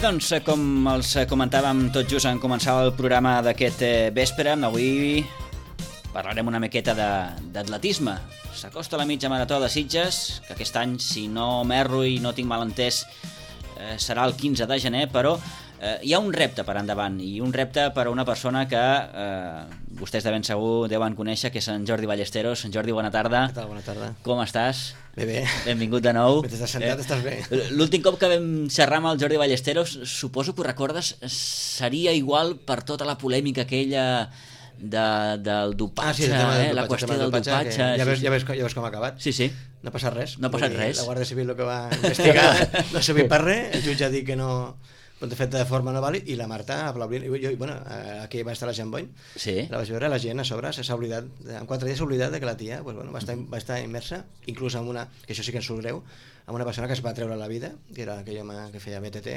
doncs, com els comentàvem tot just en començar el programa d'aquest vespre, avui parlarem una miqueta d'atletisme. S'acosta la mitja marató de Sitges, que aquest any, si no m'erro i no tinc mal entès, serà el 15 de gener, però hi ha un repte per endavant, i un repte per a una persona que vostès de ben segur deuen conèixer, que és en Jordi Ballesteros. En Jordi, bona tarda. Què tal? Bona tarda. Com estàs? Bé. Benvingut de nou. Mentre estàs sentat estàs bé. L'últim cop que vam xerrar amb el Jordi Ballesteros, suposo que ho recordes, seria igual per tota la polèmica aquella del dopatge, la qüestió del dopatge. Ja veus com ha acabat. Sí. No ha passat res. No ha passat res. La Guàrdia Civil el que va investigar no ha servit per res, el jutge ha dit que no, de fet de forma no vàlid, i la Marta aplaudint. Aquí va estar la Jean Boy, la vaig veure, la gent a sobre s'ha oblidat, en 4 dies s'ha oblidat de que la tia va estar immersa, inclús amb una, que això sí que ens surt greu, amb una persona que es va treure la vida, que era aquell home que feia BTT,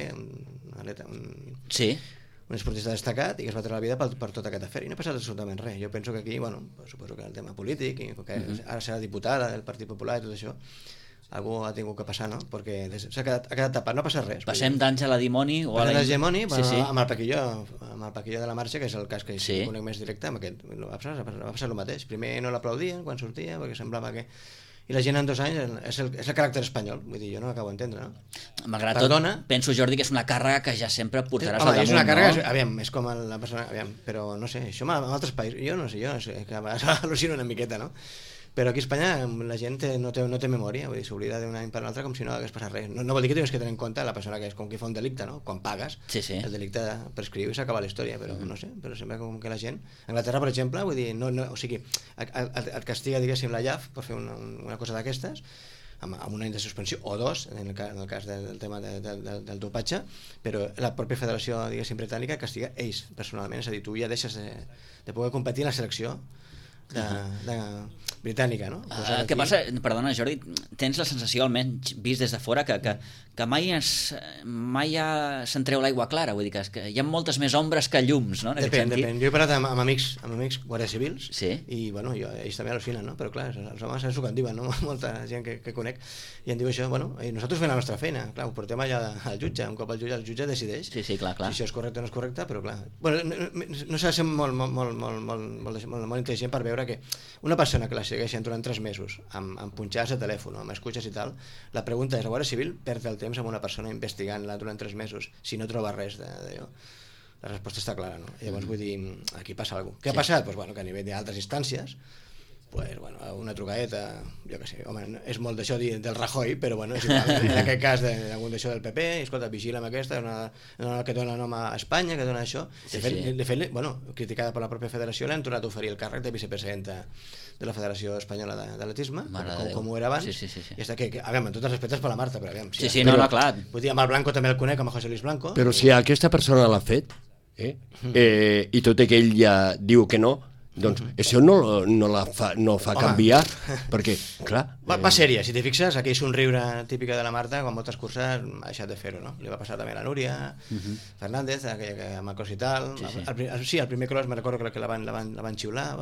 un esportista destacat, i que es va treure la vida per tot aquest afer, i no ha passat absolutament res. Jo penso que aquí, suposo que el tema polític, i que ara serà diputada del Partit Popular i tot això, algú ha tingut que passar, no? Perquè ha quedat tapat, no ha passat res. Passem d'Àngela Dimoni o a la Dimoni, amb el Paquilló de la Marxa, que és el cas que conec més directe, amb aquest va passar el mateix. Primer no l'aplaudien quan sortia, perquè semblava que... I la gent en 2 anys és el caràcter espanyol, vull dir, jo no l'acabo d'entendre, no? Malgrat tot, penso, Jordi, que és una càrrega que ja sempre portaràs al damunt, és una càrrega, no? Aviam, és com la persona, però no sé, això en altres països, jo no sé, que al·lucino una miqueta, no? Però aquí a Espanya la gent no té memòria, vull dir, s'oblida d'un any per l'altre com si no hagués passat res. No vol dir que tinguis que tenir en compte la persona que és com qui fa un delicte, no? Quan pagues, el delicte prescriu i s'acaba la història, però no sé, però sembla com que la gent... A Anglaterra, per exemple, vull dir, o sigui, et castiga, diguéssim, la IAF per fer una cosa d'aquestes, amb un any de suspensió, o 2, en el cas del tema del dopatge, però la pròpia federació, diguéssim, britànica castiga ells personalment, és a dir, tu ja deixes de poder competir en la selecció britànica, no? Què passa, perdona Jordi, tens la sensació, almenys vist des de fora, que mai se'n treu l'aigua clara, vull dir que hi ha moltes més ombres que llums, no? Depèn. Jo he parlat amb amics guàrdies civils, i ells també al·lucinen, no? Però clar, els homes és el que en diuen, no? Molta gent que conec, i em diu això, i nosaltres fem la nostra feina, clar, ho portem allà al jutge, un cop el jutge decideix si clar. Si això és correcte o no és correcte, però clar, no s'ha de ser molt intel·ligent per veure que una persona que la segueixen durant 3 mesos amb punxades de telèfon, amb escutxes i tal, la pregunta és: la Guàrdia Civil perd el temps amb una persona investigant-la durant 3 mesos si no troba res d'allò? La resposta està clara, no? Llavors vull dir, aquí passa alguna cosa. Què ha passat? Que a nivell d'altres instàncies, una trucadeta, jo què sé, home, és molt d'això del Rajoy, però és igual, en aquest cas d'algun d'això del PP, escolta, vigila amb aquesta, una que dona nom a Espanya, que dona això. De fet, criticada per la pròpia federació, l'han tornat a oferir el càrrec de vicepresidenta de la Federació Espanyola d'Atletisme, com ho era abans, i està que, amb tots els respectes per la Marta, però aviam... clar. Vull dir, amb el Blanco també el conec, amb el José Luis Blanco. Però si aquesta persona l'ha fet, i tot i que ell ja diu que no, doncs això no fa canviar, perquè, clar... Va sèria, si t'hi fixes, aquell somriure típica de la Marta, quan moltes curses ha deixat de fer-ho, no? Li va passar també a la Núria Fernández, amb el cos i tal. Sí, el primer cross, me recordo que la van xiular,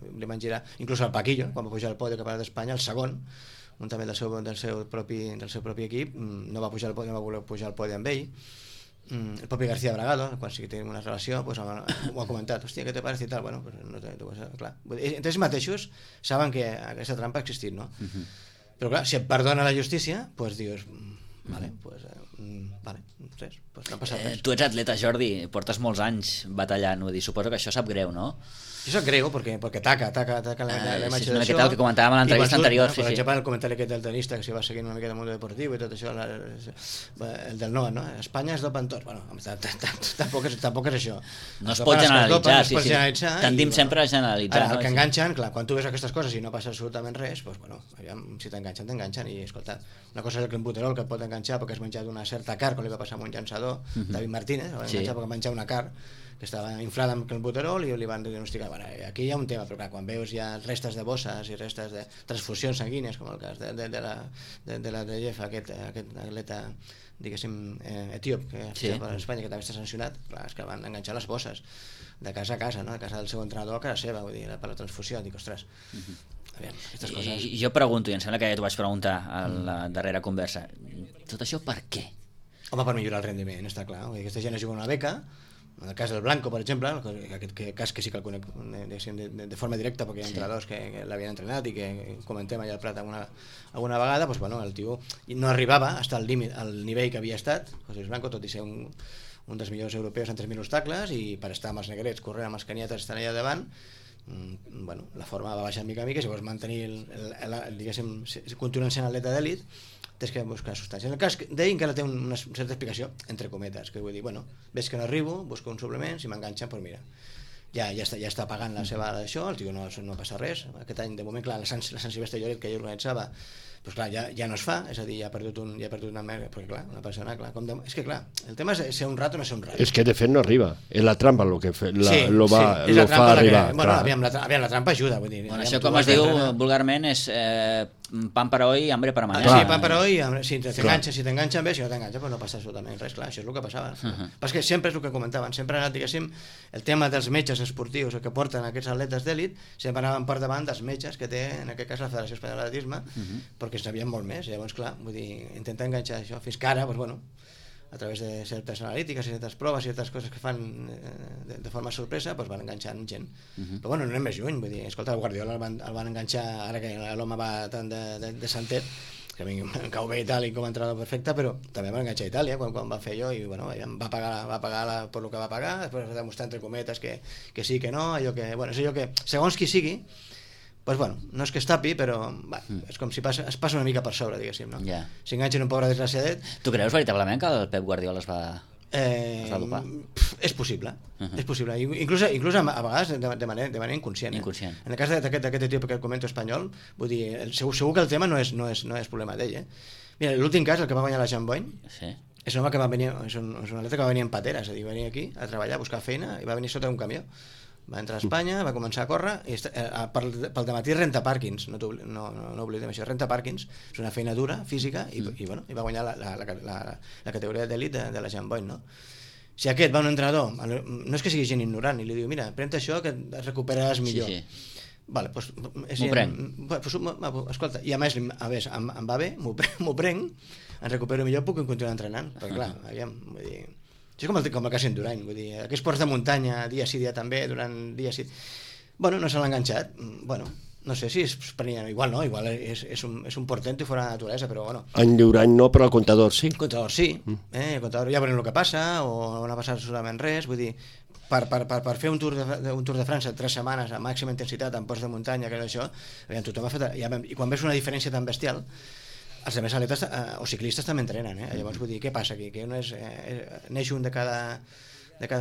li van girar, inclús al Paquillo, quan va pujar al podi cap d'Espanya, el segon, un també del seu propi equip, no va voler pujar al podi amb ell. El propi García Bragado, quan sí que tenim una relació, ho ha comentat: hòstia, què te parece i tal? Clar, entre ells mateixos saben que aquesta trampa ha existit, no? Però clar, si et perdona la justícia, doncs dius, vale, res, no ha passat res. Tu ets atleta, Jordi, portes molts anys batallant, vull dir, suposo que això sap greu, no? Això sap greu perquè taca la imatge d'això. És el que comentàvem en l'entrevista anterior. Per exemple, el comentari aquest del tenista que s'hi va seguint una mica del món deportiu i tot això, el del Noah, no? Espanya es dopa en tot. Tampoc és això. No es pot generalitzar, tendim sempre a generalitzar. Ara, el que enganxen, clar, quan tu veus aquestes coses i no passa absolutament res, si t'enganxen, i escolta, una cosa és el clenbuterol, que et pot enganxar perquè has menjat una certa carn, com li va passar amb un llançador, David Martínez, va enganxar perquè menjar una carn que estava inflada amb clenbuterol i li van diagnosticar. Aquí hi ha un tema, però clar, quan veus ja restes de bosses i restes de transfusions sanguínies, com el cas de la Dejef, aquest atleta, diguéssim, etíop, que a Espanya, que també està sancionat, clar, és que van enganxar les bosses de casa a casa, no? De casa del seu entrenador a casa seva, vull dir, per la transfusió. Dic, ostres, aviam, aquestes coses... Jo pregunto, i em sembla que ja t'ho vaig preguntar a la darrera conversa, tot això per què? Home, per millorar el rendiment, està clar. Aquesta gent es juga una beca, en el cas del Blanco, per exemple, aquest cas que sí que el conec de forma directa, perquè hi ha entrenadors que l'havien entrenat i que comentem allà al Prat alguna vegada, doncs, bueno, el tio no arribava fins al límit, al nivell que havia estat, José Blanco, tot i ser un dels millors europeus en 3.000 obstacles, i per estar amb els negrets, corrent amb els canyetes, estan allà davant, bueno, la forma va baixar mica a mica, si vols mantenir diguéssim, continuant sent atleta d'elit, tens que buscar substàncies. En el cas d'ell encara té una certa explicació, entre cometes, que vull dir, bueno, veig que no arribo, busco un suplement, si m'enganxen, doncs mira, ja està pagant la seva d'això, el tio no passa res. Aquest any, de moment, clar, la Sant Silvestre Lloret que ell organitzava, doncs clar, ja no es fa, és a dir, ja ha perdut una merda, perquè clar, una persona, clar, és que clar, el tema és ser un rat o no ser un rat. És que de fet no arriba, és la trampa el que lo fa arribar. Bueno, aviam, la trampa ajuda, vull dir. Bueno, això com es diu vulgarment és pan para hoy, hambre para mañana. Sí, pan para hoy, si t'enganxen bé, si no t'enganxen, doncs no passa absolutament res, clar, això és el que passava. Perquè sempre és el que comentaven, sempre ha anat, diguéssim, el tema dels metges esportius, el que porten aquests atletes d'èlit, sempre anaven per davant dels metges que té, en aquest cas, la Federació Espanyola d'Atletisme, perquè sabien molt més, llavors, clar, vull dir, intentar enganxar això, fins que ara, doncs, bueno, a través de certes analítiques, certes proves, certes coses que fan de forma sorpresa, doncs van enganxant gent. Però bueno, no anem més lluny, vull dir, escolta, el Guardiola el van enganxar, ara que l'home va tant de santet, que a mi em cau bé i tal, i com a entrenador perfecte, però també van enganxar a Itàlia quan va fer allò, i bueno, va pagar per el que va pagar, després va demostrar entre cometes que sí, que no, allò que, bueno, és allò que, segons qui sigui, pues bueno, no és que es tapi, però és com si es passa una mica per sobre, diguéssim, no? Yeah. Si enganxen un pobre desgraciadet... Tu creus veritablement que el Pep Guardiola es va dopar? És possible, és possible. Inclús a vegades de manera inconscient. En el cas d'aquest tio que comento espanyol, vull dir, segur que el tema no és problema d'ell, Mira, l'últim cas, el que va guanyar la Jean Boyne, és un home que va venir, és un atleta que va venir en patera, és a dir, va venir aquí a treballar, a buscar feina, i va venir sota un camió. Va entrar a Espanya, va començar a córrer, i pel dematí renta pàrquings, no oblidem això, renta pàrquings, és una feina dura, física, i va guanyar la categoria d'elit de la Jean Boyne, no? Si aquest va un entrenador, no és que sigui gent ignorant, i li diu, mira, pren això que et recuperaràs millor. Vale, doncs... M'ho prenc. Escolta, i a més, em va bé, m'ho prenc, em recupero millor, puc continuar entrenant, perquè clar, aviam, vull dir... Això és com el cas Endurany, vull dir, aquests ports de muntanya, dia sí, dia també, durant dia sí... Bueno, no se l'ha enganxat, bueno, no sé si es prenia, igual no, igual és un portento i fora de naturalesa, però bueno... En Endurany no, però el comptador sí. El comptador sí, el comptador ja veurem el que passa, o no ha passat absolutament res, vull dir, per fer un Tour de França 3 setmanes a màxima intensitat en ports de muntanya, que això, tothom ha fet... I quan veus una diferència tan bestial, els altres atletes o ciclistes també entrenen, llavors vull dir, què passa aquí? Que neix un de cada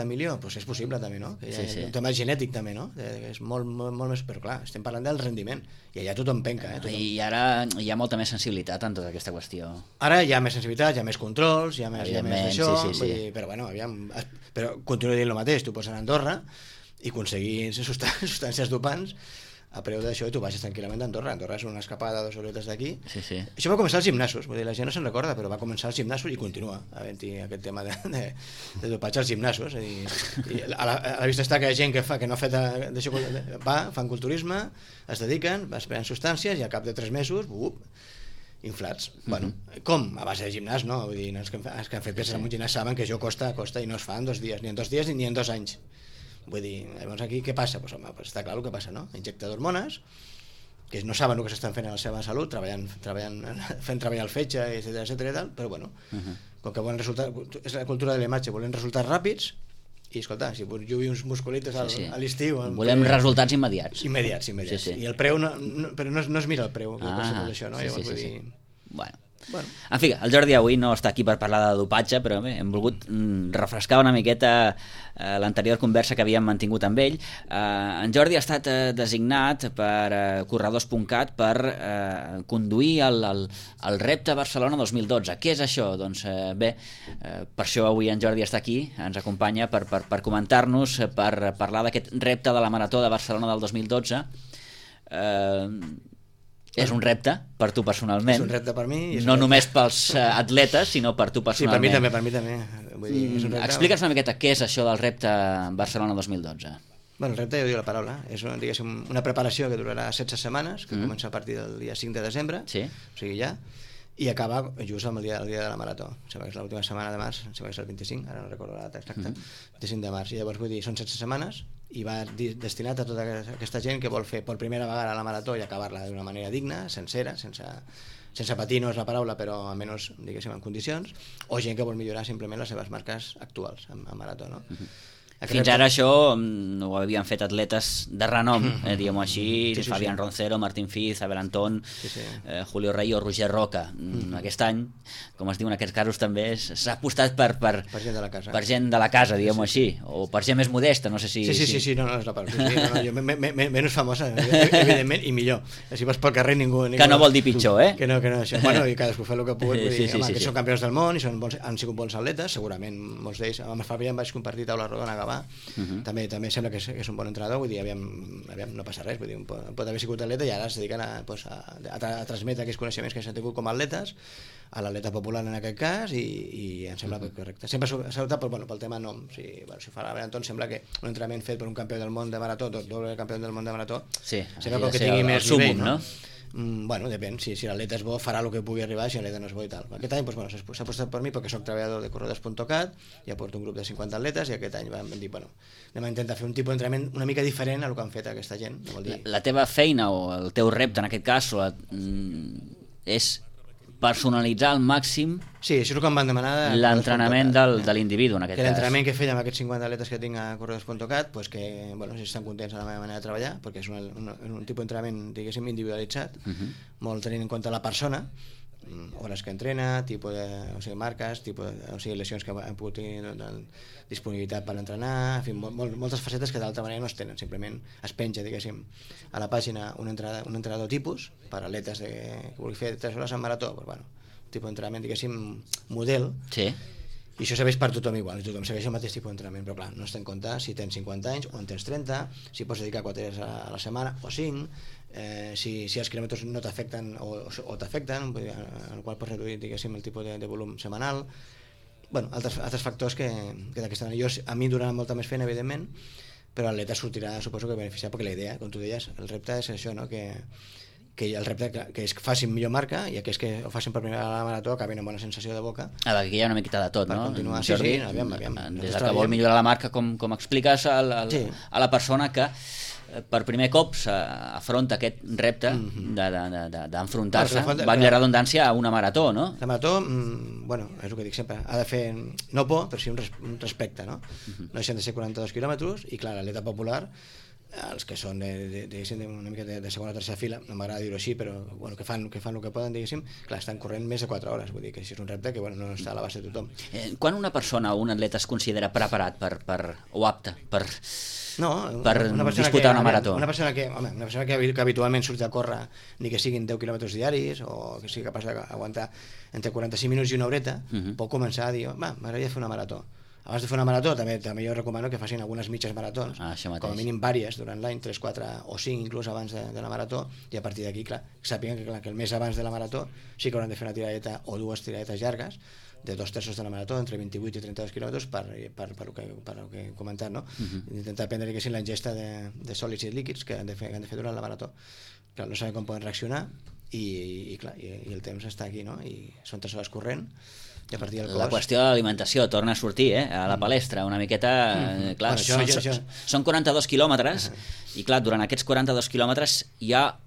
milió? Doncs és possible també, no? Un tema genètic també, no? És molt més, però clar, estem parlant del rendiment i allà tothom penca. I ara hi ha molta més sensibilitat en tota aquesta qüestió. Ara hi ha més sensibilitat, hi ha més controls, hi ha més d'això, però bueno, aviam, però continuo dient el mateix, tu pots anar a Andorra i aconseguir substàncies dopants a preu d'això i tu baixes tranquil·lament d'Andorra. Andorra és una escapada de 2 horetes d'aquí. Això va començar als gimnasos, vull dir, la gent no se'n recorda, però va començar als gimnasos i continua havent-hi aquest tema de dopatge als gimnasos. A la vista està que hi ha gent que no ha fet d'això, fan culturisme, es dediquen, es prenen substàncies i al cap de 3 mesos, inflats. Bueno, com? A base de gimnàs, no? Vull dir, els que han fet peces en un gimnàs saben que això costa i no es fa en 2 dies, ni en 2 dies ni en 2 anys. Vull dir, llavors aquí què passa? Pues, home, està clar el que passa, no? Injecta d'hormones, que no saben el que s'estan fent a la seva salut, fent treballar el fetge, etcètera i tal, però bueno, com que volen resultats, és la cultura de la imatge, volen resultats ràpids, i escolta, si jo vull uns musculitos a l'estiu... Volem resultats immediats. Immediats. I el preu, però no es mira el preu, això, no? Llavors vull dir... Bueno. En fi, el Jordi avui no està aquí per parlar de dopatge, però bé, hem volgut refrescar una miqueta l'anterior conversa que havíem mantingut amb ell. En Jordi ha estat designat per Corredors.cat per conduir el repte Barcelona 2012. Què és això? Doncs bé, per això avui en Jordi està aquí, ens acompanya per comentar-nos, per parlar d'aquest repte de la Marató de Barcelona del 2012. És un repte per tu personalment. És un repte per mi. No només pels atletes, sinó per tu personalment. Sí, per mi també. Vull dir, explica'ns una miqueta què és això del repte Barcelona 2012. Bueno, el repte ja ho diu la paraula. És una preparació que durarà 16 setmanes, que comença a partir del dia 5 de desembre, o sigui ja, i acaba just el dia de la marató. Sembla que és l'última setmana de març, sembla que és el 25, ara no recordo la data exacta, 25 de març. I llavors, vull dir, són 16 setmanes i va destinat a tota aquesta gent que vol fer per primera vegada la marató i acabar-la d'una manera digna, sencera, sense patir, no és la paraula, però almenys, diguéssim, en condicions, o gent que vol millorar simplement les seves marques actuals en marató, no? Fins ara això ho havien fet atletes de renom, diguem-ho així, Fabián Roncero, Martín Fiz, Abel Antón, Julio Rey o Roger Roca. Aquest any, com es diu en aquests casos també, s'ha apostat per gent de la casa, per gent de la casa, diguem-ho així, o per gent més modesta, no sé si... Sí, no és la part. Menys famosa, evidentment, i millor. Si vas pel carrer ningú... Que no vol dir pitjor, Que no, això. Bueno, i cadascú fa el que pugui, que són campions del món i han sigut bons atletes, segurament molts d'ells. Amb el Fabián vaig compartir taula rodona a Gavà. També sembla que és un bon entrenador, vull dir, aviam, no passa res, vull dir, pot haver sigut atleta i ara es dediquen a transmetre aquells coneixements que s'han tingut com a atletes a l'atleta popular en aquest cas i em sembla correcte. Sempre s'ha optat pel tema nom. Si fa l'Abel Antón, sembla que un entrenament fet per un campió del món de marató, doble campió del món de marató, sembla que tingui més nivell, no? Bueno, depèn, si l'atleta és bo farà el que pugui arribar, si l'atleta no és bo i tal. Aquest any s'ha apostat per mi perquè soc treballador de corredors.cat, ja porto un grup de 50 atletes i aquest any vam dir, anem a intentar fer un tipus d'entrenament una mica diferent a el que han fet aquesta gent. La teva feina o el teu repte en aquest cas és personalitzar al màxim això és el que em van demanar l'entrenament de l'individu en aquest cas. L'entrenament que feia amb aquests 50 atletes que tinc a corredors.cat, que si estan contents de la meva manera de treballar, perquè és un tipus d'entrenament, diguéssim, individualitzat, molt tenint en compte la persona, hores que entrena, marques, lesions que han pogut tenir, disponibilitat per entrenar, en fi, moltes facetes que d'altra manera no es tenen, simplement es penja, diguéssim, a la pàgina un entrenador tipus per atletes que vulgui fer 3 hores en marató, un tipus d'entrenament, diguéssim, model, i això serveix per tothom igual, i tothom segueix el mateix tipus d'entrenament, però clar, no es té en compte si tens 50 anys o en tens 30, si pots dedicar 4 hores a la setmana o 5, si els quilòmetres no t'afecten o t'afecten, en el qual pots reduir, diguéssim, el tipus de volum setmanal, altres factors que d'aquesta manera. A mi durarà molta més feina, evidentment, però l'atleta sortirà, suposo que beneficiat, perquè la idea, com tu deies, el repte és això, no? Que el repte que és que facin millor marca i aquells que ho facin per primera vegada a la marató acabin amb bona sensació de boca. Aquí hi ha una miqueta de tot, no? Per continuar, aviam. Des que vol millorar la marca, com expliques a la persona que per primer cop s'afronta aquest repte d'enfrontar-se, valgui la redundància, a una marató, no? La marató, és el que dic sempre, ha de fer no por, però sí un respecte, no? No deixen de ser 42 quilòmetres i clar, l'atleta popular, els que són una mica de segona o tercera fila, no m'agrada dir-ho així, però que fan el que poden, diguéssim, clar, estan corrent més de 4 hores, vull dir que això és un repte que no està a l'abast de tothom. Quan una persona o un atleta es considera preparat o apte per disputar una marató? Una persona que habitualment surt a córrer, ni que siguin 10 quilòmetres diaris o que sigui capaç d'aguantar entre 45 minuts i una horeta, pot començar a dir, m'agradaria fer una marató. Abans de fer una marató també jo recomano que facin algunes mitges maratons, com a mínim vàries durant l'any, 3, 4 o 5 inclús abans de la marató, i a partir d'aquí sàpiguen que el mes abans de la marató sí que hauran de fer una tiradeta o 2 tiradetes llargues de 2/3 de la marató, entre 28 i 32 quilòmetres per el que he comentat, no? Intentar prendre la ingesta de sòlids i líquids que han de fer durant la marató. Clar, no sabem com poden reaccionar i el temps està aquí, no? I són 3 hores corrent. La qüestió de l'alimentació torna a sortir a la palestra una miqueta. Clar, són 42 quilòmetres i clar, durant aquests 42 quilòmetres hi ha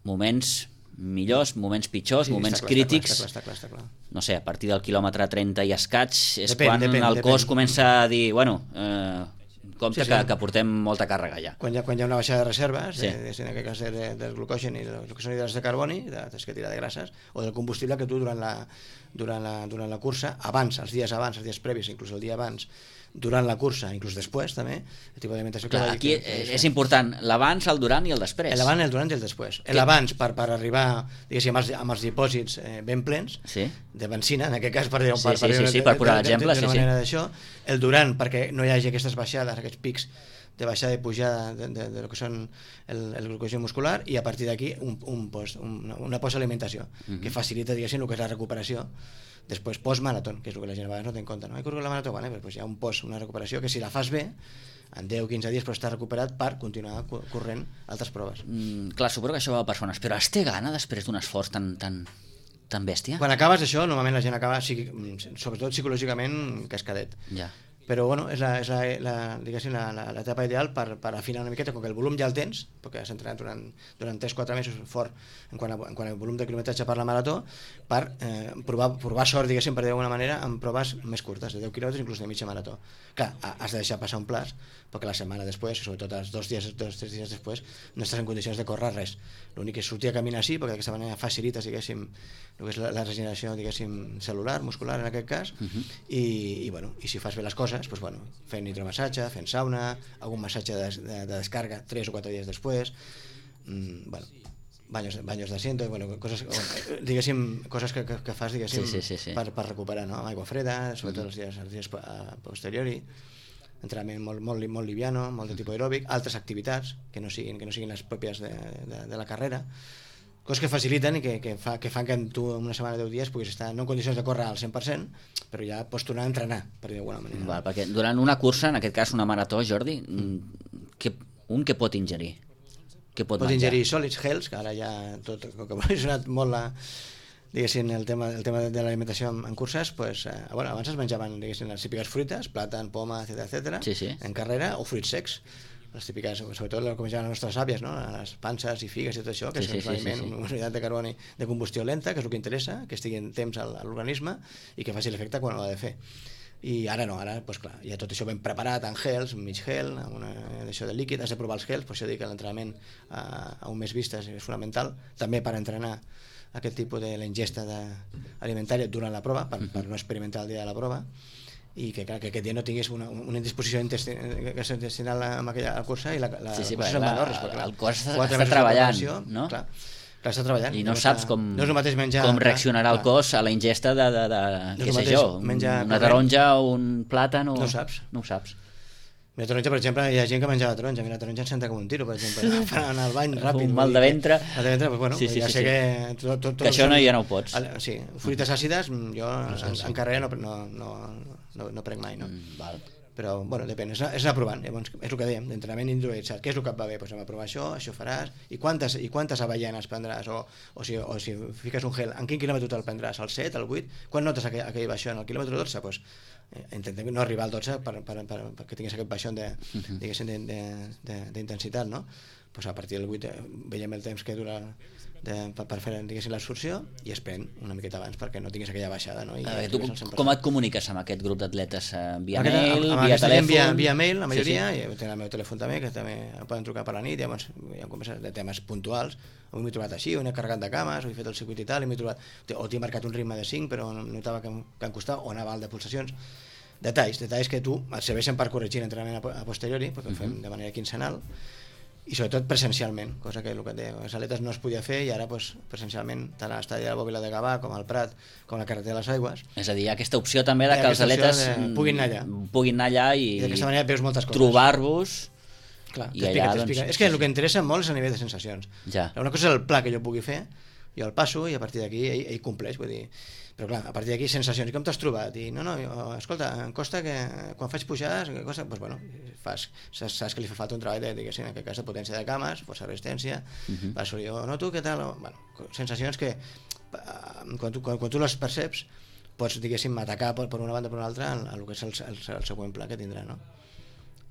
moments millors, moments pitjors, moments crítics. Està clar. No sé, a partir del quilòmetre 30 i escaig és quan el cos comença a dir, compte que portem molta càrrega ja. Quan hi ha una baixada de reserves, en aquest cas del glucogen i del que són hidrats de carboni, que tira de grasses, o del combustible que tu durant la cursa, els dies previs, inclús el dia abans, durant la cursa, inclús després també, el tipus d'alimentació que aquí és important l'abans, el durant i el després. L'abans, el durant i el després. L'abans per arribar, diguéssim, amb els dipòsits ben plens de benzina, en aquest cas per posar l'exemple, el durant perquè no hi hagi aquestes baixades, aquests pics de baixada i pujada de lo que són el glucogen muscular, i a partir d'aquí una postalimentació que facilita, diguéssim, el que és la recuperació després post-marató, que és el que la gent a vegades no té en compte. No he corregut la marató, hi ha una recuperació que si la fas bé, en 10-15 dies pots estar recuperat per continuar corrent altres proves. Clar, suposo que això va a persones, però es té gana després d'un esforç tan Tan bèstia? Quan acabes això, normalment la gent acaba, sobretot psicològicament, cascadet. Ja. Però bueno, és l'etapa ideal per afinar una miqueta, com que el volum ja el tens, perquè has entrenat durant 3-4 mesos fort en quant al volum de quilometratge per la marató, per provar sort, diguéssim, per dir d'alguna manera, amb proves més curtes, de 10 quilòmetres, inclús de mitja marató. Clar, has de deixar passar un plaç, perquè la setmana després, sobretot els 2-3 dies després, no estàs en condicions de córrer res. L'únic és sortir a caminar així, perquè d'aquesta manera facilites, diguéssim, el que és la regeneració, diguéssim, celular, muscular en aquest cas, i si fas bé les coses, doncs, bueno, fent hidromassatge, fent sauna, algun massatge de descarga 3 o 4 dies després, bueno, banyos d'asiento, bueno, coses, diguéssim, coses que fas, diguéssim, sí. per recuperar, no? Aigua freda, sobretot els dies posteriori, entrenament molt liviano, molt de tipus aeròbic, altres activitats que no siguin les pròpies de la carrera, coses que faciliten i que fan que tu en una setmana de 10 dies puguis estar no en condicions de córrer al 100%, però ja pots tornar a entrenar, per dir d'alguna manera. Val, perquè durant una cursa, en aquest cas una marató, Jordi, què pot ingerir? Què pot ingerir sòlids, gels, que ara ja tot, com que ha sonat molt diguéssim, el tema de l'alimentació en curses, pues, abans es menjaven, diguéssim, les típiques fruites, plàtan, poma, etc. En carrera, o fruits secs, les típiques, sobretot el que menjaven les nostres àvies, no? Les panses i figues i tot això, que és un aliment, una unitat de carboni de combustió lenta, que és el que interessa, que estigui en temps a l'organisme i que faci l'efecte quan ho ha de fer. I ara no, pues clar, ja tot això ben preparat en gels, mig gel, això de líquid, has de provar els gels, per això dic que l'entrenament a un mes vista és fonamental, també per entrenar aquest tipus de la ingesta alimentària durant la prova, per no experimentar el dia de la prova, i que aquest dia no tingués una indisposició intestinal amb aquella cursa i la el cos està treballant, no? Clar, està treballant i no saps com reaccionarà el cos a la ingesta de què sé jo, una taronja o un plàtan, no ho saps. La taronja, per exemple, hi ha gent que menjava taronja. Mira, la taronja em senta com un tiro, per exemple. Anar al bany ràpid. Un mal de ventre. Pues bueno, ja sé que... Que això ja no ho pots. Sí, fruites àcides, jo en carrera no prenc mai, no? Val. Però, bueno, depèn, és anar provant. Llavors, és el que dèiem, d'entrenament individualitzat. Què és el que et va bé? Doncs anem a provar això faràs. I quantes avellanes prendràs? O si fiques un gel, en quin quilòmetre te'l prendràs? Al 7, al 8? Quan notes aquell baixó? En el quilòmetre 12? Doncs intentem no arribar al 12 perquè tingués aquest baixó d'intensitat, no? Pues a partir del 8 veiem el temps que dura per fer, diguéssim, l'absorció i es pren una miqueta abans perquè no tinguis aquella baixada, no? Tu com et comuniques amb aquest grup d'atletes? Via mail, via telèfon? Via mail, la majoria, i tinc el meu telèfon també, que també poden trucar per la nit, llavors hi ha converses de temes puntuals. Avui m'he trobat així, he carregat de cames, he fet el circuit i tal, o t'he marcat un ritme de 5 però notava que em costava, o anava alt de pulsacions. Detalls que tu et serveixen per corregir l'entrenament a posteriori, perquè ho fem de manera quinzenal, i sobretot presencialment, cosa que el que et deia, les aletes no es podia fer i ara presencialment, tant a l'estadi de la Bòbila de Gavà com al Prat, com a la carretera de les Aigües. És a dir, aquesta opció també de que els atletes puguin anar allà i d'aquesta manera veus moltes coses. Trobar-vos. Clar, t'explica. És que el que interessa molt és a nivell de sensacions. Una cosa és el pla que jo pugui fer, jo el passo i a partir d'aquí ell compleix, vull dir, però clar, a partir d'aquí sensacions, i com t'has trobat? I escolta, em costa que quan faig pujades, doncs bueno, saps que li fa falta un treball diguéssim, en aquest cas de potència de cames, força resistència, per assolir, noto què tal, bueno, sensacions que quan tu les perceps pots, diguéssim, atacar per una banda o per una altra en el que és el següent pla que tindrà, no?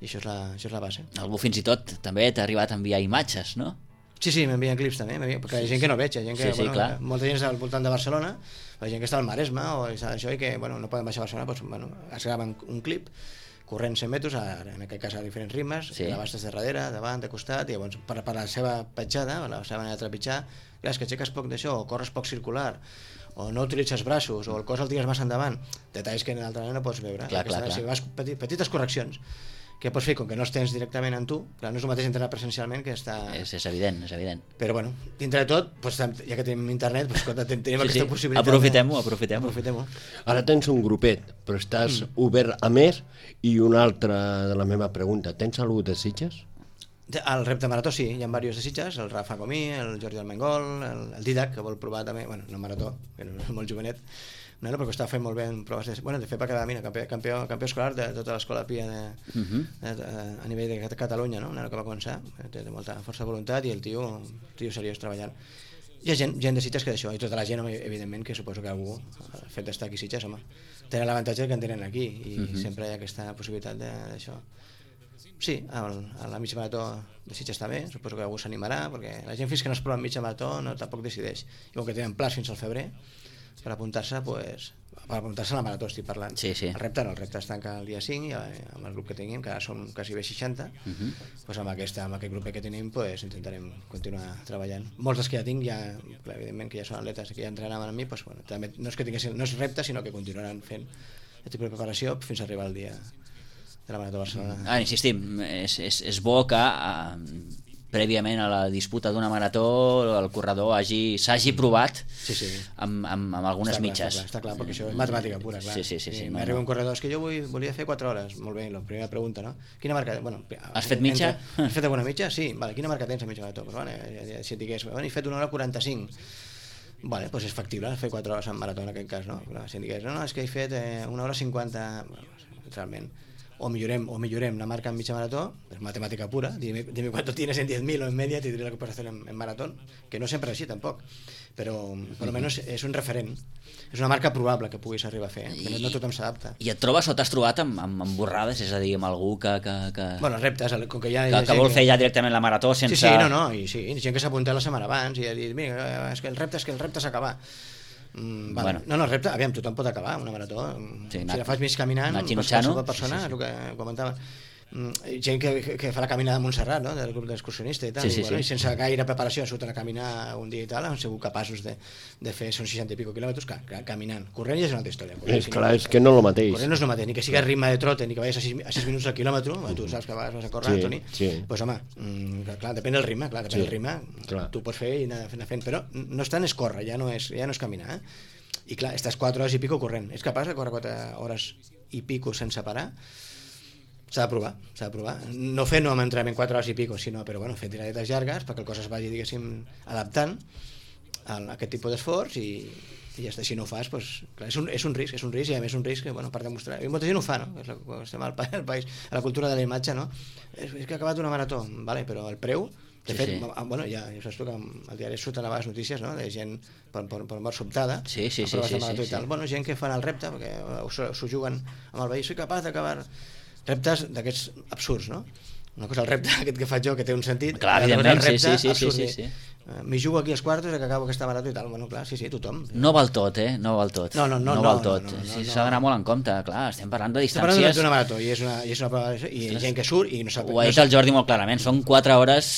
I això és la base. Algú fins i tot també t'ha arribat a enviar imatges, no? Sí, m'envien clips també, perquè hi ha gent que no veig, hi ha gent que, molta gent està al voltant de Barcelona, la gent que està al Maresme o això i que no poden baixar a Barcelona, doncs es graven un clip corrent 100 metres, en aquest cas a diferents ritmes, l'abastes de darrere, davant, de costat, i llavors per la seva petjada, la seva manera de trepitjar, és que aixeques poc d'això, o corres poc circular, o no utilitzes braços, o el cos el tires massa endavant, detalls que en l'altra manera no pots veure. Si vas petites correccions que pots fer, com que no els tens directament en tu, clar, no és el mateix entrenar presencialment que està... És evident. Però bueno, dintre de tot, ja que tenim internet, tenim aquesta possibilitat. Aprofitem-ho. Ara tens un grupet, però estàs obert a més, i una altra de la meva pregunta, tens algú de Sitges? El repte marató sí, hi ha diversos de Sitges, el Rafa Comí, el Jordi Almengol, el Didac, que vol provar també, bueno, no marató, que és molt jovenet, perquè està fent molt bé en proves de fet va quedar campió escolar de tota l'escola PIA a nivell de Catalunya, no? Un nano que va començar, té molta força de voluntat i el tio seriós treballant. Hi ha gent de Sitges que d'això, i tota la gent, evidentment, que suposo que algú, el fet d'estar aquí a Sitges, home, tenen l'avantatge que en tenen aquí, i sempre hi ha aquesta possibilitat d'això. Sí, a la mitja marató de Sitges està bé, suposo que algú s'animarà, perquè la gent fins que no es prova en mitja marató tampoc decideix. I com que tenen plans fins al febrer, per apuntar-se, per apuntar-se a la marató estic parlant. Sí. El repte es tanca el dia 5 i amb el grup que tenim, que ara som quasi bé 60, doncs amb aquest grup que tenim intentarem continuar treballant. Molts dels que ja tinc, clar, evidentment que ja són atletes que ja entrenaven amb mi, doncs, bueno, també no és repte, sinó que continuaran fent el tipus de preparació fins a arribar al dia de la Marató de Barcelona. Insistim, és bo que prèviament a la disputa d'una marató el corredor s'hagi provat amb algunes mitges. Està clar, perquè això és matemàtica pura, clar. Sí. M'arriba un corredor, és que jo volia fer 4 hores. Molt bé, la primera pregunta, no? Quina marca... Has fet mitja? Has fet alguna mitja? Sí. Vale, quina marca tens a mitja marató? Si et digués, he fet 1 hora 45. Vale, doncs és factible fer 4 hores en marató en aquest cas, no? Si em digués, no, és que he fet 1 hora 50, realment. O millorem la marca en mitja marató, es matemàtica pura, dime cuánto tienes en 10.000 o en media, te diré lo que puedes hacer en maratón, que no sempre és així tampoc, però per almenys és un referent, és una marca probable que puguis arribar a fer, que no tothom s'adapta. I et trobes o t'has trobat amb borrades, és a dir, amb algú que Bueno, reptes, com que ja... que vol fer ja directament la marató sense... Sí, gent que s'ha apuntat la setmana abans i ha dit, mira, és que el repte és acabar. Vale. No, el repte, aviam, tothom pot acabar una marató, si la fas més caminant, qualsevol persona, és el que comentava, gent que fa la caminada de Montserrat, no? Del grup d'excursionista i tal, i sense gaire preparació surten a caminar un dia i tal, han sigut capaços de fer, són 60 i pico quilòmetres caminant. Corrent ja és una altra història. És clar, és que no és el mateix. Corrent no és el mateix, ni que sigui a ritme de trote, ni que vagis a 6 minuts al quilòmetre, tu saps que vas a córrer, Toni, doncs home, clar, depèn del ritme, tu pots fer i anar fent, però no és tant és córrer, ja no és caminar, i clar, estàs 4 hores i pico corrent, és capaç de córrer 4 hores i pico sense parar? S'ha de provar. No fer amb entrenament 4 hores i pico, sinó, però bueno, fer tiradetes llargues perquè el cos es vagi, diguéssim, adaptant a aquest tipus d'esforç i ja està. Si no ho fas, doncs, clar, és un risc i a més un risc que, bueno, per demostrar. I molta gent ho fa, no? Estem al país, a la cultura de la imatge, no? És que ha acabat una marató, vale, però el preu... De fet, bueno, ja saps tu que al diari surten a vegades notícies, no?, de gent per mort sobtada, proves de marató i tal. Bueno, gent que fan el repte, perquè s'ho juguen amb el veí, soy capaç d'acabar reptes d'aquests absurds, no? Una cosa, el repte aquest que faig jo, que té un sentit, clar, evidentment, sí. M'hi jugo aquí als quartos que acabo aquesta marató i tal. Bueno, clar, sí, tothom. No val tot, no val tot. No val tot. S'ha d'anar molt en compte, clar, estem parlant de distàncies... Estem parlant d'una marató i és una prova i gent que surt i no sap... Ho ha dit el Jordi molt clarament, són 4 hores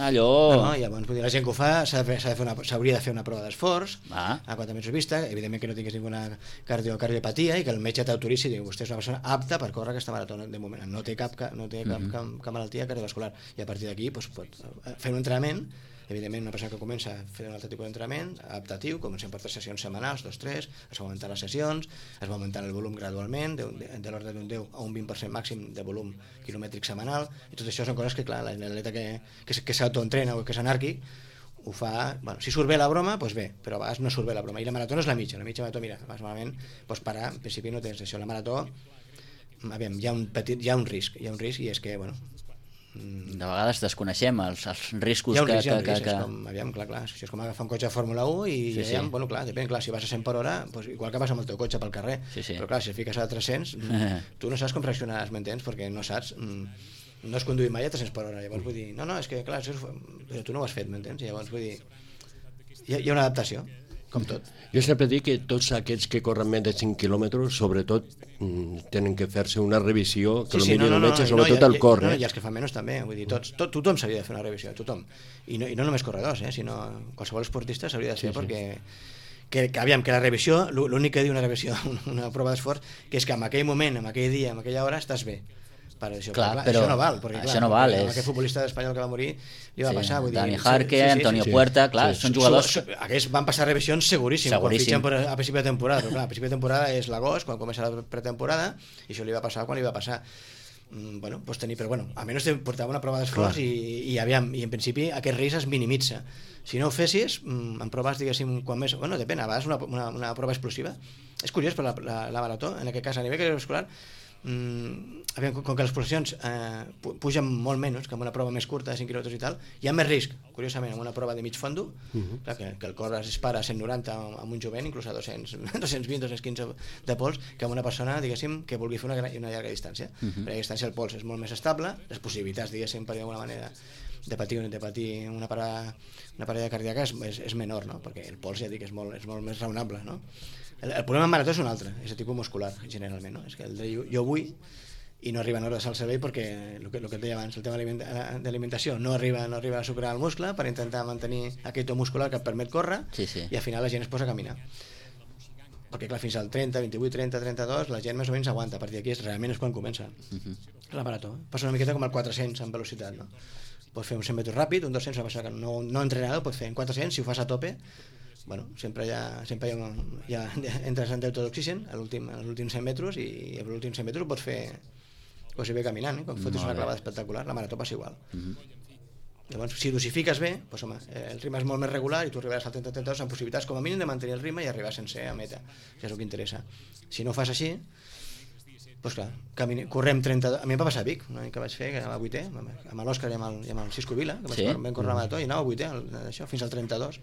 allò... No, llavors, la gent que ho fa s'hauria de fer una prova d'esforç a 4 metres vista, evidentment que no tingués ninguna cardiopatia i que el metge t'autoritzi i digui, vostè és una persona apta per córrer aquesta marató de moment, no té cap malaltia cardiovascular, i a partir d'aquí pot fer un entrenament. Evidentment, una persona que comença a fer un altre tipus d'entrenament adaptatiu, comencem per 3 sessions setmanals, 2-3, es va augmentant les sessions, es va augmentant el volum gradualment, de l'ordre d'un 10 a un 20% màxim de volum quilomètric setmanal, i tot això són coses que, clar, l'atleta que s'autoentrena o que és anàrquic ho fa, bueno, si surt bé la broma, doncs bé, però a vegades no surt bé la broma, i la marató no és la mitja marató, mira, vas malament, pots parar, en principi no tens això, la marató, aviam, hi ha un risc, i és que, bueno, de vegades desconeixem els riscos que... Aviam, clar, això és com agafar un cotxe de Fórmula 1 i aviam, bueno, clar, depèn, clar, si vas a 100 per hora, doncs igual que vas amb el teu cotxe pel carrer, però clar, si et fiques a 300, tu no saps com reaccionaràs, m'entens? Perquè no saps, no has conduït mai a 300 per hora, llavors vull dir, no, és que clar, però tu no ho has fet, m'entens? Llavors vull dir, hi ha una adaptació, com tot. Jo sempre dic que tots aquests que corren més de 5 quilòmetres, sobretot, tenen que fer-se una revisió, que potser el metge, sobretot el cor. I els que fan menys també, vull dir, tothom s'hauria de fer una revisió, tothom. I no només corredors, sinó qualsevol esportista s'hauria de fer, perquè aviam, que la revisió, l'únic que diu una revisió, una prova d'esforç, que és que en aquell moment, en aquell dia, en aquella hora, estàs bé. Clar, però això no val, perquè això no val, aquest futbolista espanyol que va morir li va passar, vull dir, Dani Jarque, Antonio Puerta, clar, són jugadors... Aquests van passar revisions seguríssim. Quan fitxen a principi de temporada, però clar, a principi de temporada és l'agost, quan comença la pretemporada, i això li va passar quan li va passar. Bueno, pots tenir, però bueno, almenys portava una prova d'esforç i aviam, i en principi aquest risc es minimitza. Si no ho fessis, en proves, diguéssim, quan més... Bueno, depèn, a vegades una prova explosiva. És curiós, però la marató, en aquest cas a nivell cardiovascular, com que les pulsacions pugen molt menys que en una prova més curta de 5 km i tal, hi ha més risc, curiosament, en una prova de mig fondo, clar, que el cor es dispara a 190 amb un jovent, inclús a 220, 215 de pols, que amb una persona, diguéssim, que vulgui fer una llarga distància. Per a distància el pols és molt més estable, les possibilitats, diguéssim, per d'alguna manera, de patir una parella cardíaca és menor, no? Perquè el pols, ja dic, és molt més raonable, no? El problema en marató és un altre, és de tipus muscular, generalment, no? És que el de jo vull i no arriben hores al cervell perquè el que et deia abans, el tema d'alimentació no arriba a sucrar el muscle per intentar mantenir aquest to muscular que et permet córrer, i al final la gent es posa a caminar, perquè clar, fins al 30, 28, 30, 32 la gent més o menys aguanta, a partir d'aquí realment és quan comença la marató. Passa una miqueta com el 400 en velocitat, no? Pots fer un 100 metres ràpid, un 200, una passada que no entrenada, pots fer en 400, si ho fas a tope, bueno, sempre ja entres en deute d'oxigen als últims 100 metres, i a l'últim 100 metres ho pots fer quasi bé caminant, com fotis una clavada espectacular. La marató passa igual. Llavors, si dosifiques bé, doncs, home, el ritme és molt més regular i tu arribaràs al 30-32 amb possibilitats com a mínim de mantenir el ritme i arribar sense a meta, que és el que interessa. Si no ho fas així, doncs clar, correm 32... A mi em va passar a Vic, un any que vaig fer, que anava a 8è, amb l'Òscar i amb el Cisco Vila, que vam córrer la marató, i anava a 8è, fins al 32.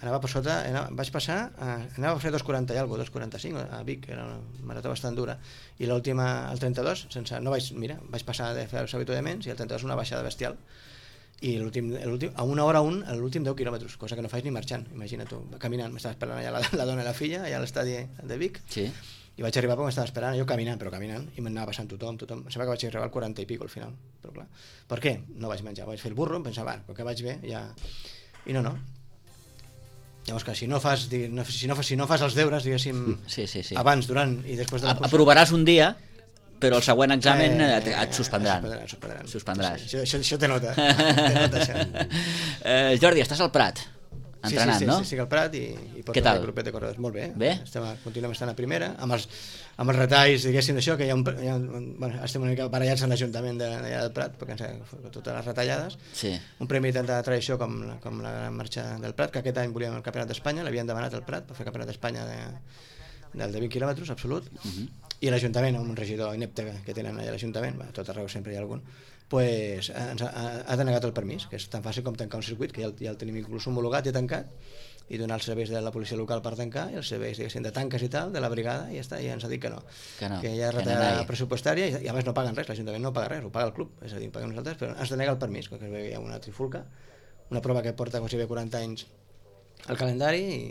Anava per sota, vaig passar, anava a fer 2.40 i alguna cosa, 2.45 a Vic, era una marató bastant dura, i l'última, el 32, vaig passar de fer els habituaments, i el 32 una baixada bestial, i a una hora l'últim 10 quilòmetres, cosa que no faig ni marxant, imagina't tu, caminant, m'estava esperant allà la dona i la filla, allà a l'estadi de Vic, i vaig arribar perquè m'estava esperant, jo caminant, i m'anava passant tothom, em sembla que vaig arribar al 40 i pico al final, però clar, per què? No vaig menjar, vaig fer el burro, em pensava, perquè vaig bé, ja... I no. Llavors que si no fas els deures, diguéssim, abans, durant i després de la cursa... Aprovaràs un dia, però el següent examen et suspendran. Suspendràs. Això té nota. Jordi, estàs al Prat, entrenant, no? Sí, al Prat i porto el grupet de corredors. Molt bé. Continuem estant a primera, amb els retalls, diguéssim, d'això, que estem una mica barallats en l'Ajuntament d'allà del Prat, perquè totes les retallades. Un premi de tanta tradició com la Gran Marxa del Prat, que aquest any volíem el Campionat d'Espanya, l'havien demanat al Prat per fer el Campionat d'Espanya del de 20 quilòmetres, absolut, i l'Ajuntament, amb un regidor inepte que tenen allà a l'Ajuntament, a tot arreu sempre hi ha algun, pues, ha denegat el permís, que és tan fàcil com tancar un circuit, que ja el tenim inclús homologat i tancat, i donar els serveis de la policia local per tancar, i els serveis, diguéssim, de tanques i tal, de la brigada, i ja està, ja ens ha dit que no. Que hi ha retallada pressupostària, i a més no paguen res, l'Ajuntament no paga res, ho paga el club, és a dir, paguem nosaltres, però ens denega el permís, que hi ha una trifulca, una prova que porta quasi bé 40 anys al calendari,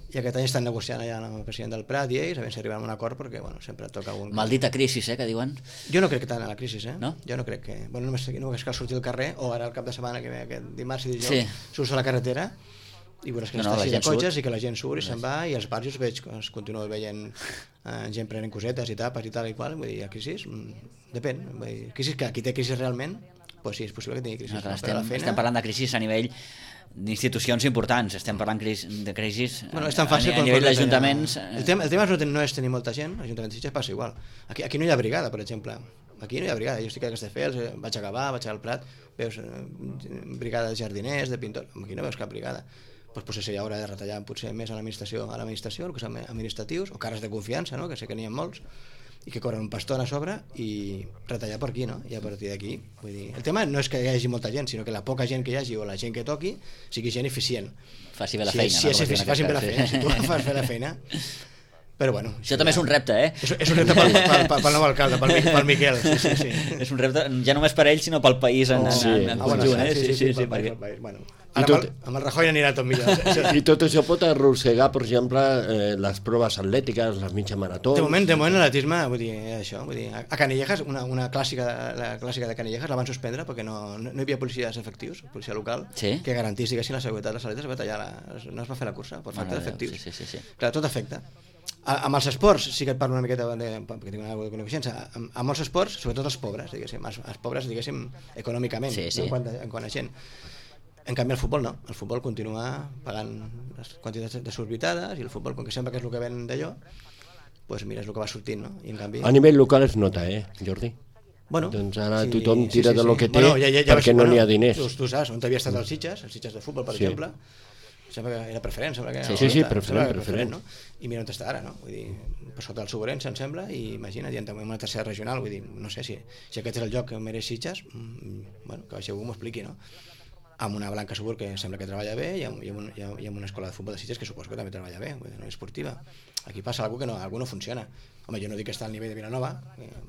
i aquest any estan negociant allà amb el president del Prat i ells, a veure si arribem a un acord, perquè bueno, toca algun... Maldita crisi, que diuen. Jo no crec que tant a la crisi, No? Jo no crec que... Bueno, només cal sortir al carrer, o ara el cap de setmana que ve, aquest dimarts i dijous, surts a la carretera, i veuràs que està així de cotxes i que la gent surt i se'n va, i als barrios veig que es continua veient gent prenent cosetes i tapes i tal i qual, vull dir, a crisi, depèn, vull dir, crisi, que qui té crisi realment, pues sí, és possible que tingui crisi. Estem parlant de crisi a nivell d'institucions importants, estem parlant de crisis a nivell d'ajuntaments. El tema no és tenir molta gent, l'Ajuntament de Sitges passa igual. Aquí no hi ha brigada, per exemple. Aquí no hi ha brigada, jo estic a Castelldefels, vaig a Gavà, vaig al Prat, veus brigada de jardiners, de pintors, aquí no veus cap brigada. Doncs potser seria hora de retallar potser més a l'administració, el que són administratius, o càrrecs de confiança, no? Que sé que n'hi ha molts, i que corren un paston a sobre, i retallar per aquí, no? I a partir d'aquí, vull dir, el tema no és que hi hagi molta gent, sinó que la poca gent que hi hagi o la gent que toqui sigui gent eficient. Faci bé la feina. Facin bé la feina, si tu fas bé la feina. Però bueno... Això també és un repte, És un repte pel nou alcalde, pel Miquel. Sí. És un repte ja només per ell, sinó pel país en conjunt. Sí, pel país. Bueno, ara amb el Rajoy anirà tot millor. I tot això pot arrossegar, per exemple, les proves atlètiques, les mitja marató... De moment l'atletisme, vull dir, això, a Canillejas, la clàssica de Canillejas la van suspendre perquè no hi havia policies efectius, policia local, que garantís, diguéssim, la seguretat de les atletes, no es va fer la cursa per falta d'efectius. Clar, tot afecta. Amb els esports, sí que et parlo una miqueta perquè tinc una coneixença, amb molts esports, sobretot els pobres, diguéssim, els pobres, diguéssim, econòmicament, en quant a gent. En canvi el futbol no, el futbol continua pagant les quantitats desorbitades, i el futbol, com que sembla que és el que ven d'allò, doncs mira, és el que va sortint, no? I en canvi... A nivell local es nota, Jordi? Bueno, doncs ara tothom tira de lo que té perquè no n'hi ha diners. Tu saps, on havia estat els Sitges de futbol, per exemple, sembla que era preferent, sembla que... Sí, preferent. No? I mira on està ara, no? Vull dir, per sota del Sobrense, em sembla, i imagina't, hi ha també una tercera regional, vull dir, no sé si aquest és el lloc que mereix Sitges, bueno, que si algú m'ho expliqui, no? Amb una Blanca Subur que sembla que treballa bé i amb una escola de futbol de Sitges que suposo que també treballa bé, vull dir, no és esportiva. Aquí passa alguna cosa que algú no funciona. Home, jo no dic que està al nivell de Vilanova,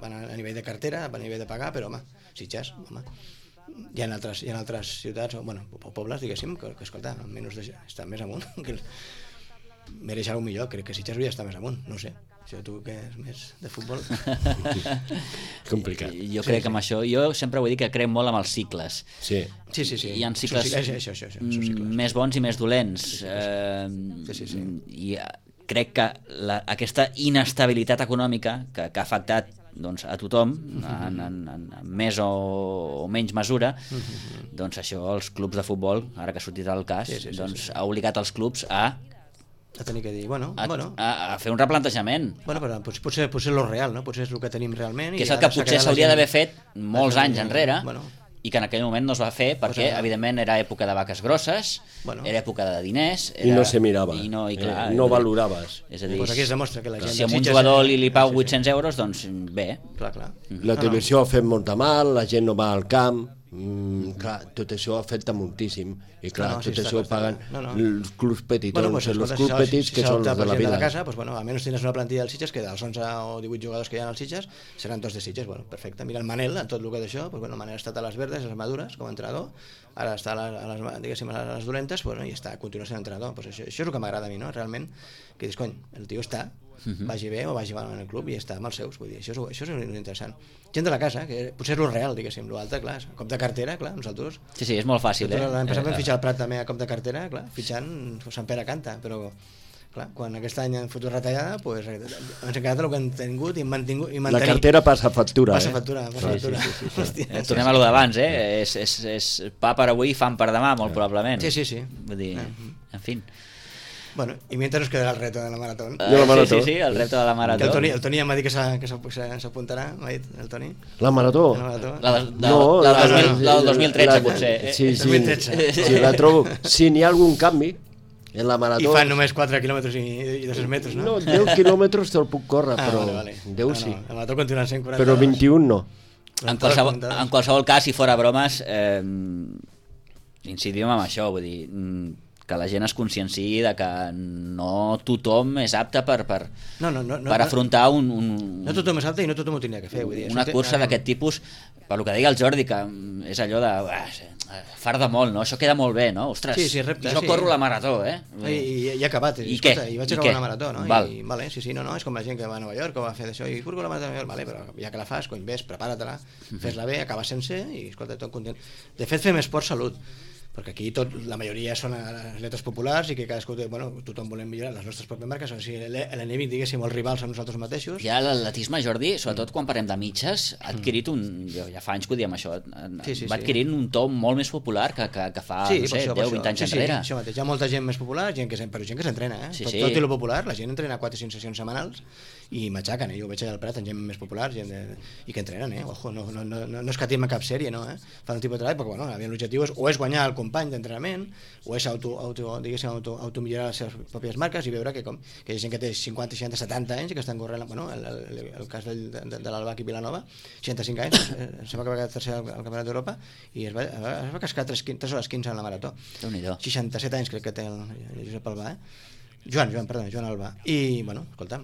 van a nivell de cartera, van a nivell de pagar, però home, Sitges, home, hi ha altres ciutats, o pobles, diguéssim, que escolta, almenys estan més amunt, que mereix alguna millor, crec que Sitges hauria d'estar més amunt, no sé. Això tu que és més de futbol... Complicat. Jo crec que amb això, jo sempre vull dir que crec molt amb els cicles. Sí. Hi ha cicles més bons i més dolents. I crec que aquesta inestabilitat econòmica que ha afectat doncs, a tothom en més o menys mesura, doncs això els clubs de futbol, ara que ha sortit el cas, doncs ha obligat els clubs a tenir que dir, a fer un replantejament. Bueno, però potser és lo real, no? Potser és el que tenim realment. Que és el que potser s'hauria d'haver fet molts anys enrere, i que en aquell moment no es va fer perquè, evidentment, era època de vaques grosses, era època de diners... I no se mirava, no valoraves. És a dir, aquí es demostra que la gent... Si a un jugador li pau 800 euros, doncs bé. Clar. La televisió ha fet molta mal, la gent no va al camp... clar, tot això afecta moltíssim i clar, tot això ho paguen els clubs petitons, els clubs petits que són els de la vida. Casa, almenys tens una plantilla dels Sitges que dels 11 o 18 jugadors que hi ha als Sitges seran tots de Sitges, perfecte. Mira el Manel, en tot el que d'això, el Manel ha estat a les verdes, a les madures, com a entrenador, ara està a les dolentes, i continua sent entrenador. Això és el que m'agrada a mi, no? Realment, que dius, cony, el tio està, vagi bé o vagi mal en el club i està amb els seus, vull dir, això és interessant. Gent de la casa, que potser és lo real, diguéssim, l'altre, clar, cop de cartera, clar, nosaltres... Sí, és molt fàcil, L'any passat vam fitxar el Prat també a cop de cartera, clar, fitxant Sant Pere Canta, però clar, quan aquest any han fotut retallada, doncs ens hem quedat el que hem tingut i mantingut... La cartera passa factura, Passa factura. Tornem a lo d'abans, és pa per avui i fam per demà, molt probablement. Sí. Vull dir, en fi... Bueno, y mientras nos quedará el reto de la maratón. Sí, el reto de la marató. El Toni ja m'ha dit que s'apuntarà, m'ha dit el Toni. La marató? La del 2013, potser. Sí, la trobo. Si n'hi ha algun canvi en la marató... I fan només 4 quilòmetres i 200 metres, no? No, 10 quilòmetres te'l puc córrer, però 10 sí. La marató continua sent 40. Però 21 no. En qualsevol cas, si fora bromes, incidim en això, vull dir... que la gent es conscienciï de que no tothom és apte per afrontar no tothom és apte i no tothom ho tindria que fer, vull dir, una cursa d'aquest tipus, per lo que deia el Jordi, que és allò de farda molt, no? Això queda molt bé, no? Ostres, jo corro la marató, i he acabat, i vaig acabar una marató, no? És com la gent que va a Nova York, que va fer d'això, i corro la marató, però ja que la fas, cony, ves, prepara-te-la, fes-la bé, acabes sense, i escolta, tot content. De fet, fem esport salut, perquè aquí la majoria són atletes populars i que cadascú, tothom volem millorar les nostres pròpies marques, o sigui, l'enemic, diguéssim, els rivals són nosaltres mateixos. Ja l'atletisme, Jordi, sobretot quan parlem de mitges, ha adquirit ja fa anys que ho diem això, va adquirint un to molt més popular que fa, no sé, 10-20 anys enrere. Sí, això mateix, hi ha molta gent més popular, però gent que s'entrena, tot i lo popular, la gent entrena 4 o 5 sessions setmanals i matxaquen, jo ho veig allà al Prat, gent més popular i que entrenen, ojo, no escatim a cap sèrie, no, fan el tipus de treball, perquè l'objectiu és guanyar el company d'entrenament o és automillorar les seves pròpies marques i veure que hi ha gent que té 50, 60, 70 anys i que estan corrent, el cas de l'Albac i Vilanova, 65 anys, sembla que va quedar tercer al Campionat d'Europa i es va cascar 3 hores 15 en la marató. 67 anys crec que té el Josep Albà, Joan Albà. I, escolta,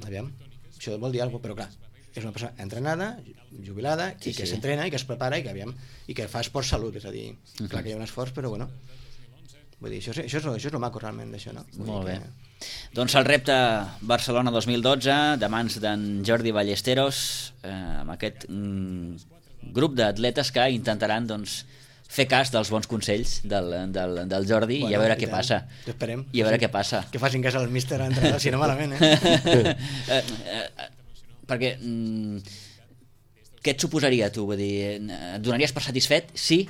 aviam, això vol dir alguna cosa, però clar, és una persona entrenada, jubilada, i que s'entrena, i que es prepara, i que fa esport salut, és a dir, clar que hi ha un esforç, però vull dir, això és el maco realment d'això, no? Molt bé. Doncs el repte Barcelona 2012, de mans d'en Jordi Ballesteros, amb aquest grup d'atletes que intentaran, fer cas dels bons consells del Jordi i a veure què passa. Esperem. I a veure què passa. Que facin cas al míster a entrenar, si no malament, perquè què et suposaria tu? Vull dir, et donaries per satisfet? Sí?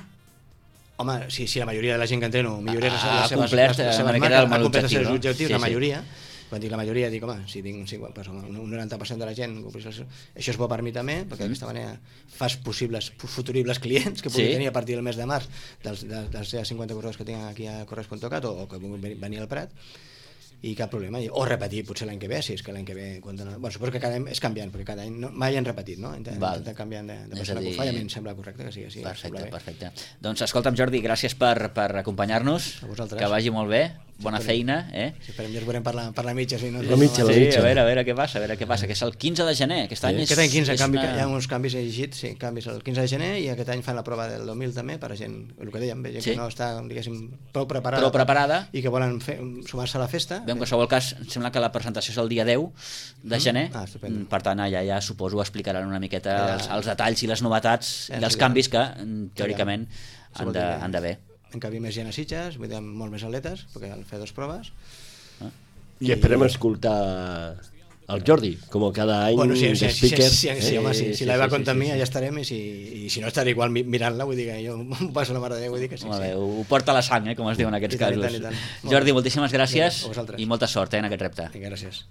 Home, si la majoria de la gent que entreno milloraria ha complert els objectius, la majoria, quan dic la majoria, dic, home, si tinc un 90% de la gent, això és bo per mi també, perquè d'aquesta manera fas futuribles clients que pugui tenir a partir del mes de març dels 50 corredors que tinc aquí a Corres.cat o que puguin venir al Prat, i cap problema, o repetir potser l'any que ve, si és que l'any que ve suposo que cada any és canviant, perquè cada any mai han repetit, no? Intentem canviant de persona que ho fa, i a mi em sembla correcte que sigui així. Perfecte. Doncs escolta'm, Jordi, gràcies per acompanyar-nos, que vagi molt bé, bona feina. Esperem que ens veurem per la mitja. La mitja. A veure què passa, que és el 15 de gener, aquest any és... Aquest any 15, hi ha uns canvis, he llegit, canvis el 15 de gener, i aquest any fan la prova del 2000 també, per a gent, el que dèiem, gent que no està, diguéssim, prou preparada i que volen sumar-se a la festa. En qualsevol cas, em sembla que la presentació és el dia 10 de gener, per tant allà ja suposo explicaran una miqueta els detalls i les novetats i els canvis que teòricament han d'haver. Encabir més gent a Sitges, vull dir, molt més atletes, perquè han fet 2 proves. I esperem escoltar el Jordi, com cada any, de speaker. Si la Eva compta amb mi, ja estarem, i si no estaré igual mirant-la, vull dir que jo m'ho passo la mare de Déu, vull dir que sí. Ho porta la sang, com es diu en aquests casos. Jordi, moltíssimes gràcies i molta sort en aquest repte. Gràcies.